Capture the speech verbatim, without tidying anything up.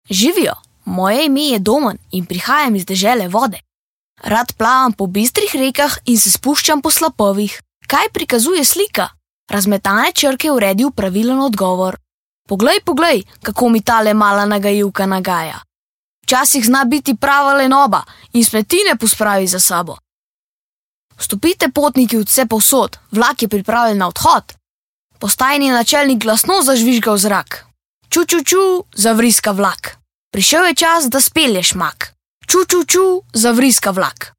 Živijo, moje ime je Domen in prihajam iz dežele vode. Rad plavam po bistrih rekah in se spuščam po slapovih. Kaj prikazuje slika? Razmetane črke uredi v pravilen odgovor. Poglej, poglej, kako mi tale mala nagajivka nagaja. Včasih zna biti prava lenoba in spletine pospravi za sabo. Vstopite, potniki, vse povsod, vlak je pripravljen na odhod. Postajni načelnik glasno zažvižga v zrak. Ču, ču, ču, zavriska vlak. Prišel je čas, da spelješ mak. Ču, ču, ču, zavriska vlak.